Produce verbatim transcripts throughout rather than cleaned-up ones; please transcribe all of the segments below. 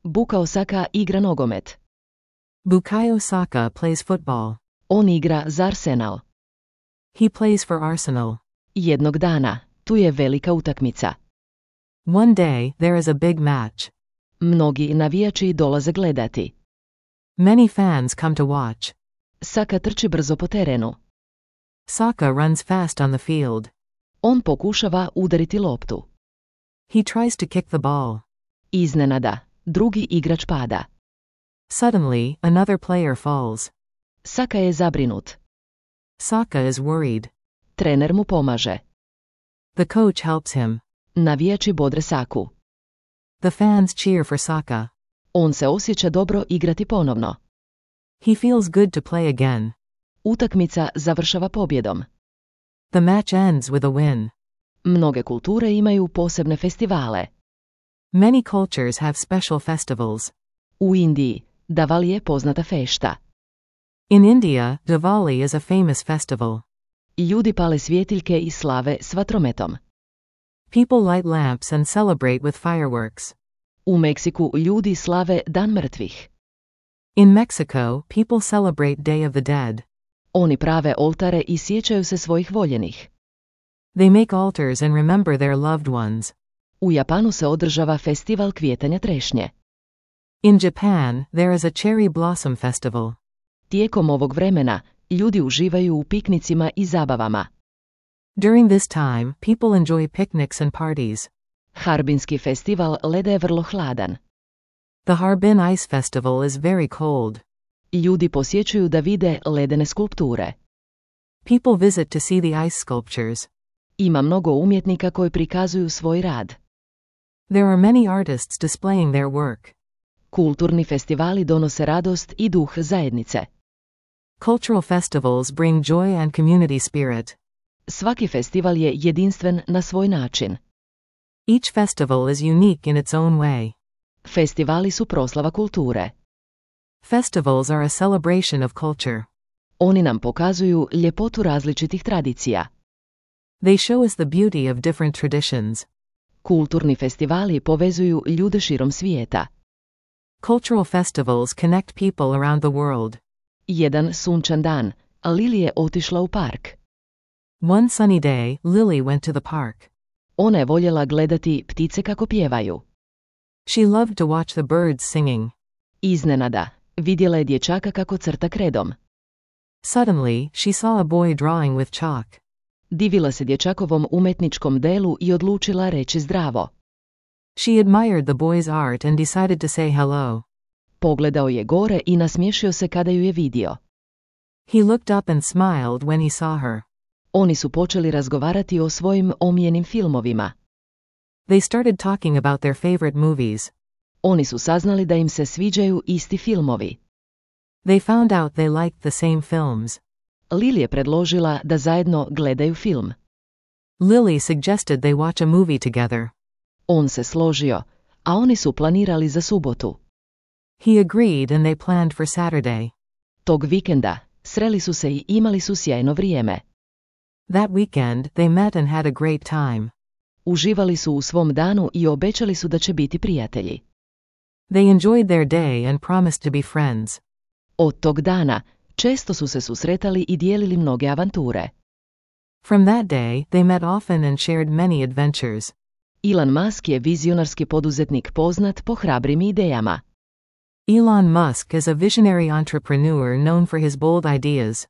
Bukayo Saka igra nogomet. Bukayo Saka plays football. On igra za Arsenal. He plays for Arsenal. Jednog dana, tu je velika utakmica. One day, there is a big match. Mnogi navijači dolaze gledati. Many fans come to watch. Saka trči brzo po terenu. Saka runs fast on the field. On pokušava udariti loptu. He tries to kick the ball. Iznenada, drugi igrač pada. Suddenly, another player falls. Saka je zabrinut. Saka is worried. Trener mu pomaže. The coach helps him. Navijači bodre Saku. The fans cheer for Saka. On se osjeća dobro igrati ponovno. He feels good to play again. Utakmica završava pobjedom. The match ends with a win. Mnoge kulture imaju posebne festivale. Many cultures have special festivals. U Indiji, Diwali je poznata fešta. In India, Diwali is a famous festival. Ljudi pale svjetiljke i slave s vatrometom. People light lamps and celebrate with fireworks. U Meksiku ljudi slave Dan mrtvih. In Mexico, people celebrate Day of the Dead. Oni prave oltare i sjećaju se svojih voljenih. They make altars and remember their loved ones. U Japanu se održava festival kvijetanja trešnje. In Japan, there is a cherry blossom festival. Tijekom ovog vremena, ljudi uživaju u piknicima i zabavama. During this time, people enjoy picnics and parties. Harbinski festival leda je vrlo hladan. The Harbin Ice Festival is very cold. Ljudi posjećuju da vide ledene skulpture. People visit to see the ice sculptures. Ima mnogo umjetnika koji prikazuju svoj rad. There are many artists displaying their work. Kulturni festivali donose radost i duh zajednice. Cultural festivals bring joy and community spirit. Svaki festival je jedinstven na svoj način. Each festival is unique in its own way. Festivali su proslava kulture. Festivals are a celebration of culture. Oni nam pokazuju ljepotu različitih tradicija. They show us the beauty of different traditions. Kulturni festivali povezuju ljude širom svijeta. Cultural festivals connect people around the world. Jedan sunčan dan, Lily je otišla u park. One sunny day, Lily went to the park. Ona je voljela gledati ptice kako pjevaju. She loved to watch the birds singing. Iznenada, vidjela je dječaka kako crta kredom. Suddenly, she saw a boy drawing with chalk. Divila se dječakovom umetničkom delu i odlučila reći zdravo. She admired the boy's art and decided to say hello. Pogledao je gore i nasmiješio se kada ju je vidio. He looked up and smiled when he saw her. Oni su počeli razgovarati o svojim omiljenim filmovima. They started talking about their favorite movies. Oni su saznali da im se sviđaju isti filmovi. They found out they liked the same films. Lily je predložila da zajedno gledaju film. Lily suggested they watch a movie together. On se složio, a oni su planirali za subotu. He agreed and they planned for Saturday. Tog vikenda, sreli su se i imali su sjajno vrijeme. That weekend, they met and had a great time. Uživali su u svom danu i obećali su da će biti prijatelji. They enjoyed their day and promised to be friends. Od tog dana, često su se susretali i dijelili mnoge avanture. From that day, they met often and shared many adventures. Elon Musk je vizionarski poduzetnik poznat po hrabrim idejama. Elon Musk is a visionary entrepreneur known for his bold ideas.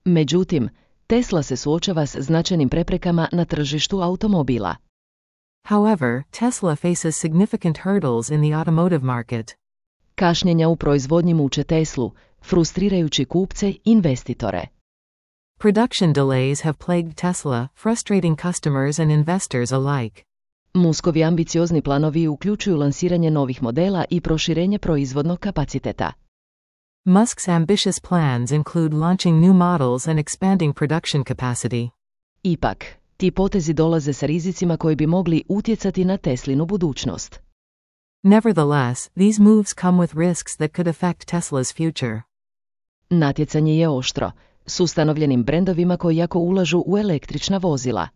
Međutim, Tesla se suočava s značajnim preprekama na tržištu automobila. However, Tesla faces significant hurdles in the automotive market. Kašnjenja u proizvodnji muče Teslu, frustrirajući kupce i investitore. Production delays have plagued Tesla, frustrating customers and investors alike. Muskovi ambiciozni planovi uključuju lansiranje novih modela i proširenje proizvodnog kapaciteta. Musk's ambitious plans include launching new models and expanding production capacity. Ipak, ti potezi dolaze sa rizicima koji bi mogli utjecati na Teslinu budućnost. Nevertheless, these moves come with risks that could affect Tesla's future. Natjecanje je oštro, s ustanovljenim brendovima koji jako ulažu u električna vozila.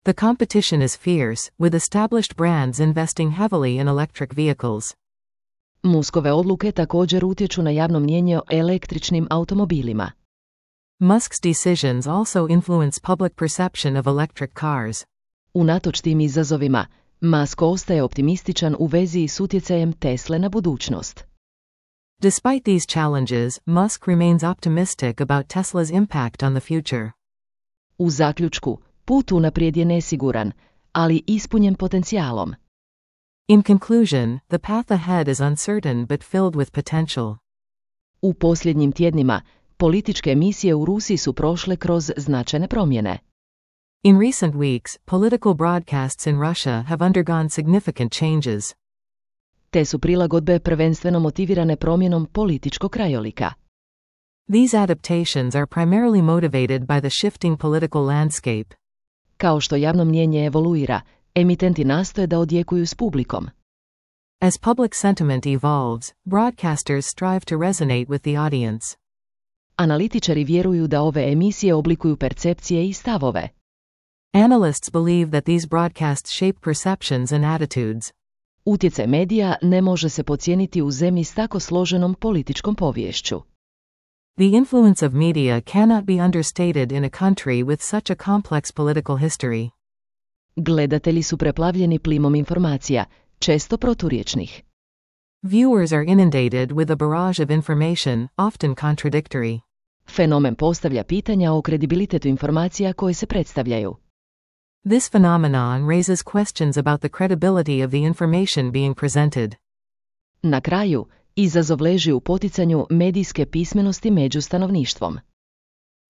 The competition is fierce, with established brands investing heavily in electric vehicles. Muskove odluke također utječu na javno mnijenje o električnim automobilima. Musk's decisions also influence public perception of electric cars. Unatoč tim izazovima, Musk ostaje optimističan u vezi s utjecajem Tesle na budućnost. Despite these challenges, Musk remains optimistic about Tesla's impact on the future. U zaključku, put unaprijed je nesiguran, ali ispunjen potencijalom. In conclusion, the path ahead is uncertain but filled with potential. U posljednjim tjednima, političke emisije u Rusiji su prošle kroz značajne promjene. In recent weeks, political broadcasts in Russia have undergone significant changes. Te su prilagodbe prvenstveno motivirane promjenom političkog krajolika. These adaptations are primarily motivated by the shifting political landscape. Kao što javno mnijenje evoluira, emitenti nastoje da odjekuju s publikom. As public sentiment evolves, broadcasters strive to resonate with the audience. Analitičari vjeruju da ove emisije oblikuju percepcije i stavove. Analysts believe that these broadcasts shape perceptions and attitudes. Utjecaj medija ne može se podcijeniti u zemlji s tako složenom političkom poviješću. The influence of media cannot be understated in a country with such a complex political history. Gledatelji su preplavljeni plimom informacija, često proturječnih. Viewers are inundated with a barrage of information, often contradictory. Fenomen postavlja pitanja o kredibilitetu informacija koje se predstavljaju. This phenomenon raises questions about the credibility of the information being presented. Na kraju, izazov leži u poticanju medijske pismenosti među stanovništvom.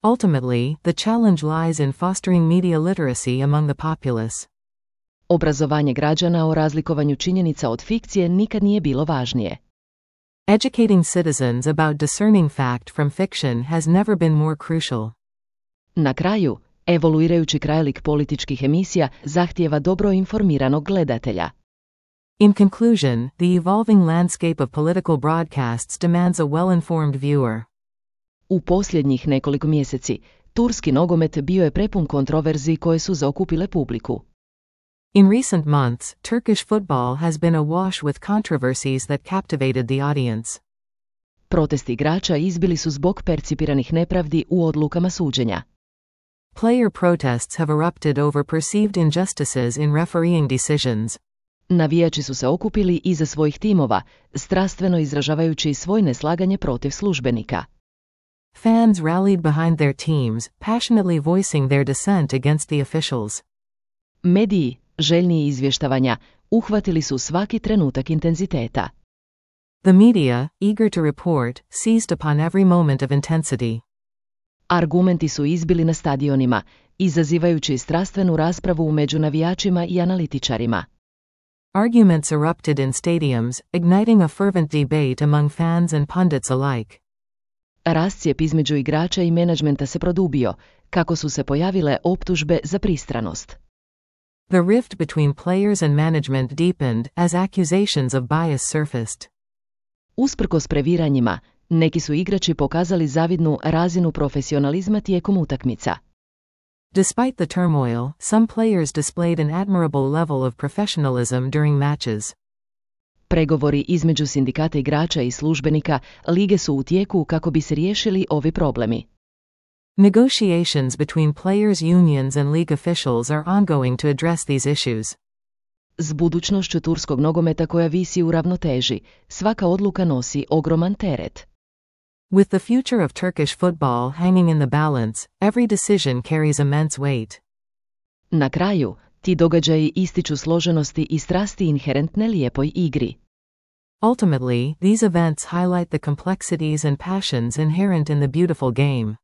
Ultimately, the challenge lies in fostering media literacy among the populace. Obrazovanje građana o razlikovanju činjenica od fikcije nikad nije bilo važnije. Educating citizens about discerning fact from fiction has never been more crucial. Na kraju, evoluirajući krajolik političkih emisija zahtijeva dobro informiranog gledatelja. In conclusion, the evolving landscape of political broadcasts demands a well-informed viewer. U posljednjih nekoliko mjeseci, turski nogomet bio je prepun kontroverzi koje su zaokupile publiku. In recent months, Turkish football has been awash with controversies that captivated the audience. Protesti igrača izbili su zbog percipiranih nepravdi u odlukama suđenja. Player protests have erupted over perceived injustices in refereeing decisions. Navijači su se okupili iza svojih timova, strastveno izražavajući svoje neslaganje protiv službenika. Fans rallied behind their teams, passionately voicing their dissent against the officials. Mediji, željni izvještavanja, uhvatili su svaki trenutak intenziteta. The media, eager to report, seized upon every moment of intensity. Argumenti su izbili na stadionima, izazivajući strastvenu raspravu među navijačima i analitičarima. Arguments erupted in stadiums, igniting a fervent debate among fans and pundits alike. Rascijep između igrača i menadžmenta se produbio, kako su se pojavile optužbe za pristranost. The rift between players and management deepened as accusations of bias surfaced. Usprkos previranjima, neki su igrači pokazali zavidnu razinu profesionalizma tijekom utakmica. Despite the turmoil, some players displayed an admirable level of professionalism during matches. Pregovori između sindikata igrača i službenika lige su u tijeku kako bi se riješili ovi problemi. Negotiations between players' unions and league officials are ongoing to address these issues. S budućnošću turskog nogometa koja visi u ravnoteži, svaka odluka nosi ogroman teret. With the future of Turkish football hanging in the balance, every decision carries immense weight. Na kraju, ti događaji ističu složenosti i strasti inherentne lijepoj igri. Ultimately, these events highlight the complexities and passions inherent in the beautiful game.